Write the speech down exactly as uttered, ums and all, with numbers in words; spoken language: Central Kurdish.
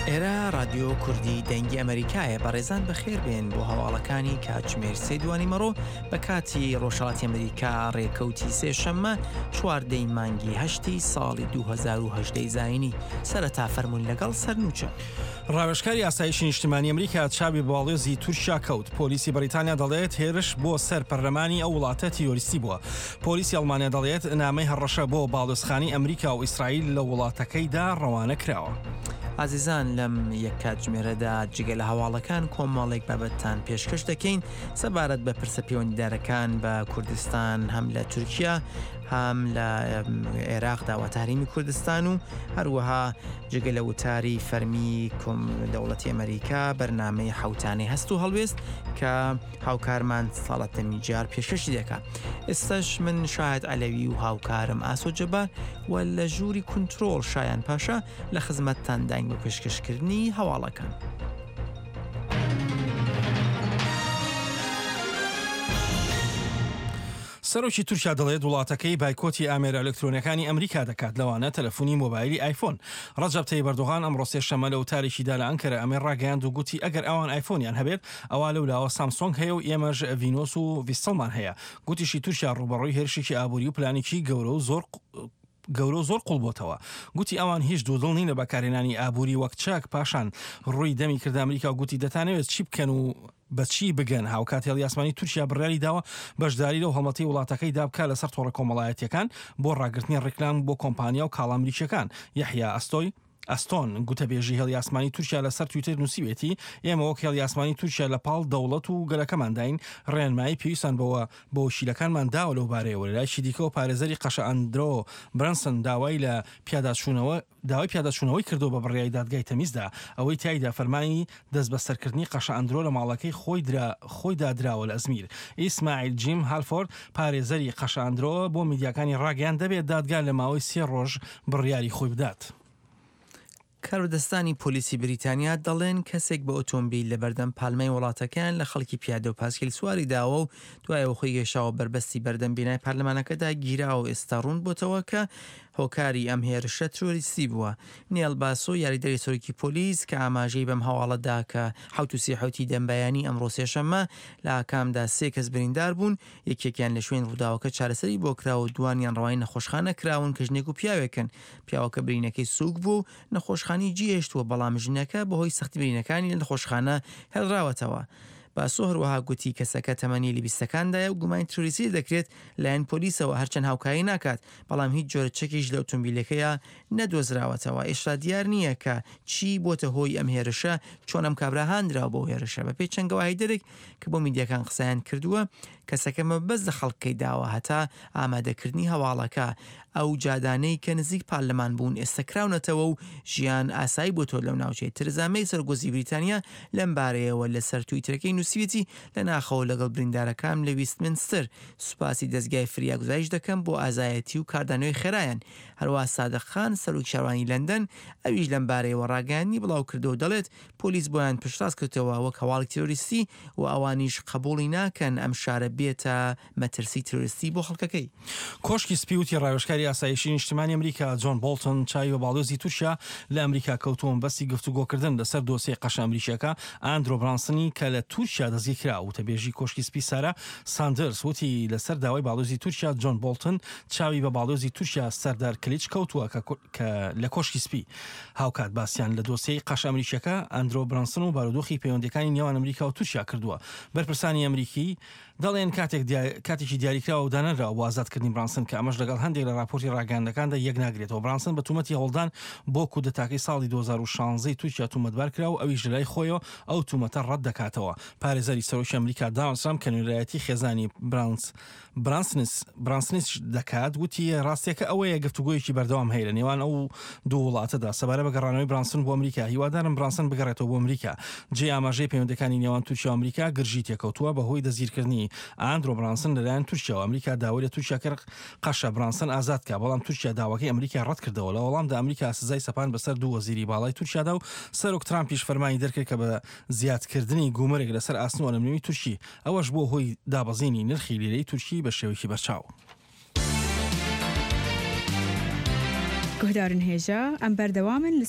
ئێرە ڕادیۆ کوردی دەنگی ئەمەریکایە. بەڕێزان بەخێربێن بۆ هەواڵەکانی کاتژمێر سێ دوانی مەڕۆ بە کاتی ڕۆژهەڵاتی ئەمریکا، ڕێکەوتی سێشەممە چواردەی مانگی هەشتی ساڵی دوو هەزار و هەژدە ی زایینی. سەرەتا فەرموون لەگەڵ سەرنوچە. ڕاوێژکاری ئاسایشی نیشتمانی ئەمریکا چاوی بە باڵیۆزی تورکیا کەوت. پۆلیسی بەریتانیا دەڵێت هێرش بۆ سەر پەرلەمانی ئەو وڵاتە تیرۆریستی بووە. پۆلیسی ئەڵمانیا دەڵێت نامەی هەڕەشە بۆ باڵیۆزخانەی ئەمریکا و ئیسرائیل لە وڵاتەکەیدا ڕەوانە کراوە. ئازیزان لەم یەک کاتژمێرەدا جگە لە هەواڵەکان کۆمەڵێک بابەتتان پێشکەش دەکەین سەبارەت بە پرسە پەیوەندیدارەکان بە کوردستان، هەم لە تورکیا هەم لە عێراقدا واتە هەرێمی کوردستان، و هەروەها جگە لە وتاری فەرمی دەوڵەتی ئەمریکا بەرنامەی حوتانەی هەست و هەڵوێست کە هاوکارمان ساڵەتەمی جار پێشکەشی دەکات. ئێستاش من شاهد عەلەوی و هاوکارم ئاسۆ جەبار و لە ژووری کنترۆڵ شایان پاشا لە خزمەتتانداین بۆ پێشکەشکردنی هەواڵەکان. سەرۆکی تورکیا دەڵێت وڵاتەکەی بایکۆتی ئامێرە ئەلکترۆنیەکانی ئەمریکا دەکات، لەوانە تەلەفۆنی مۆبایلی ئایفۆن. ڕەجەب تەیب ئەردۆغان ئەمڕۆ سێشەممە لە وتارێکیدا لە ئەنکەرە ئەمەی ڕاگەیاند و گوتی ئەگەر ئەوان ئایفۆنیان هەبێت ئەوا لەولاوە سامسۆنگ هەیە و ئێمەش ڤینۆس و ڤیستڵمان هەیە. گوتیشی تورکیا ڕووبەڕووی هێرشێکی ئابووری و پلانێکی گەورە و زۆر گەورە و زۆر قوڵ بۆتەوە. گوتی ئەوان هیچ دوودڵ نین لە بەکارهێنانی ئابووری وەک چاک. پاشان ڕووی دەمی کردە ئەمریکا و گوتی دەتانەوێت چی بکەن و بەچی بگەن. هاوکات هێڵی ئاسمانی تورکیا بڕیاری داوە بەشداری لەو هەڵمەتی وڵاتەکەی دابکا لەسەر تۆڕە کۆمەڵایەتیەکان بۆ ڕاگرتنی ڕیکلام بۆ کۆمپانیا و کاڵا ئەمریکیەکان. یەحیا ئەستۆی ئەستۆن گوتەبێژی هێڵی ئاسمانی تورکیا لەسەر تویتەر نووسیوێتی ئێمە وەک هێڵی ئاسمانی تورکیا لە پاڵ دەوڵەت و گەلەکەمانداین، ڕێنمایی پێویستان بەوە بۆ وەکیلەکانمان داوە لەو بارەیەوە. لەلایەکی دیکەوە پارێزەری قەشە ئەندرۆ برەنسن داوای لە پیاداچوونەوە داوای پیاداچوونەوەی کردو بە بڕیاری دادگای تەمیزدا، ئەوەی تایدا فەرمانی دەست بەسەرکردنی قەشە ئەندرۆ لە ماڵەکەی خۆی خۆیدا دراوە لە ئەزمیر. ئیسماعیل جیم هالفۆرد پارێزەری قەشە ئەندرۆ بۆ میدیاکانی ڕاگەیاند دەبێت دادگا لە ماوەی سێ ڕۆژ بڕیاری خۆی بدات. کاربەدەستانی پۆلیسی بریتانیا دەڵێن کەسێک بە ئۆتۆمبیل لە بەردەم پارلمانی وڵاتەکەیان لە خەڵکی پیادە و پاسکیل سواری داوە و دوایەوە خۆی گەشاوە بەربەستی بەردەم بینای پارلمانەکەدا گیراوە و ئێستا ڕوون بۆتەوە کە هۆکاری ئەم هێرشە ترۆریستی بووە. نێل باسۆ یاریدەری سەرۆکی پۆلیس کە ئاماژەی بەم هەواڵەدا کە حەوت و سی حەوتی دەمبەیانی ئەمڕۆ سێشەممە لە ئاکامدا سێ کەس بریندار بوون، یەکێکیان لە شوێن ڕووداوەکە چارەسەری بۆ کراوە و دوانیان ڕەوانی نەخۆشخانە کراون کە ژنێک و پیاوێکن. پیاوەکە برینەکەی سووک بوو و نەخۆشخانەی جێهێشتووە، بەڵام ژنەکە بەهۆی سەختی برینەکانی لە نەخۆشخانە هێڵراوەتەوە. باسۆ هەروەها گوتی کەسەکە تەمەنی لە بیستەکاندایە و گومانی ترۆریستی دەکرێت لایەن پۆلیسەوە، هەرچەند هاوکاری ناکات، بەڵام هیچ جۆرە چەکیش لە ئۆتۆمبیلەکەیە نەدۆزراوەتەوە. ئێستا دیار نییە کە چی بۆتە هۆی ئەم هێرشە، چۆن ئەم کابرا هاندراوە بۆ هێرشە. بەپێی چەند گەواهیدەرێک کە بۆ میدیاکان قسەیان کردووە، کەسەکە مەبەست لە خەڵکەی داوە هەتا ئامادەکردنی هەواڵەکە. ئەو جادانەی کە نزیک پارلەمان بوون ئێستا کراونەتەوە و ژیان ئاسایی بۆ تۆ لەو ناوچەیە. ترزا مەی سەرۆکوەزیری بریتانیا لەم بارەیەوە لەسەر تویتەرەکەی نووسیویەتی لە ناخەوە لەگەڵ بریندارەکان لە ویستمنستەر سوپاسی دەستگای فریاگوزاریش دەکەم بۆ ئازایەتی و کاردانەوەی خێرایان. هەروەها سادق خان سەرۆکی شارەوانی لەندەن ئەویش لەم بارەیەوە ڕاگەیاندنی بڵاو کردەوە، دەڵێت پۆلیس بۆیان پشتڕاست کردەوە وەک هەواڵی تیرۆریستی و ئەوانیش قبوڵی ناکەن ئەم شارە بێتە مەترسی تیرۆریستی بۆ خەڵکەکەی. کۆشکی سپی وتی ڕاوێژکاری ئاسایشی نیشتمانی ئەمریکا جۆن بۆڵتن چاوی بە باڵیۆزی تورکیا لە ئەمریکا کەوتووە مەبەستی گفتوگۆکردن لەسەر دۆسیەی قەشە ئەمریکیەکە ئاندرۆ برانسنی کە لە تورکیا دەستگیرکرا. وتەبێژی کۆشکی سپی سارا ساندرس وتی لەسەر داوای باڵیۆزی تورکیا جۆن بۆڵتن چاوی بە باڵیۆزی تورکیا سەردار کلیچ کەوتووە کە لە کۆشکی سپی. هاوکات باسییان لە دۆسیەی قەشە ئەمریکیەکە ئەندرۆ برانسن و بارودۆخی پەیوەندیەکانی نێوان ئەمریکا و تورکیا کردووە. بەرپرسانی ئەمریکی دەڵێن کاتێکی دیاریکراوە و دانەنراوە بۆ ئازادکردنی برانسن کە ئەمەش لەگەڵ هەندێک لە راپۆرتی ڕاگەیاندنەکاندا یەک ناگرێتەوە. برانسن بە تومەتی هەوڵدان بۆ کودەتاکەی ساڵی دوو هەزار و شانزە تورکیا تومەتبار کرا و ئەویش لەلای خۆیەوە ئەو تومەتە ڕەت دەکاتەوە. پارێزەری سەرۆکی ئەمریکا داناڵد ترامپ کە نوێنەرایەتی خێزانی برانس برانسنس برانسنس دەکات وتی ڕاستیەکە ئەوەیە گفتوگۆیەکی بەردەوام هەیە لە نێوان ئەو دوو وڵاتەدا سەبارەت بە گەڕانەوەی برانسن بۆ ئەمریکا. هیوادارم برانسن بگەڕێتەوە بۆ ئەمریکا. جێ ئاماژەی پەیوەندەکانی نێوان تورکیا و ئەمریکا گرژی تێکەوتووە بەهۆی دەستگیرکردنی ئاندرۆ برانسن لەلایەن تورکیاوە. ئەمریکا داوای لە تورکیا کرد قەشە برانسن ئازاد کە، بەڵام تورکیا داواکەی ئەمریکا ڕەت کردەوە. لە وەڵامدا ئەمریکا سزای سەپان بەسەر دوو وەزیری باڵای تورکیادا و سەرۆک ترامپیش فەرمانی دەرکرد کە بە زیادکردنی گومرگ لەسەر ئاسن و ئەلمنیومی تورکی، ئەوەش بۆ هۆی دابەزینی نرخی لیرەی تورکی بە شێوەیەکی بەرچاو. گوهدارن هێژا ئەم بەردەوامن.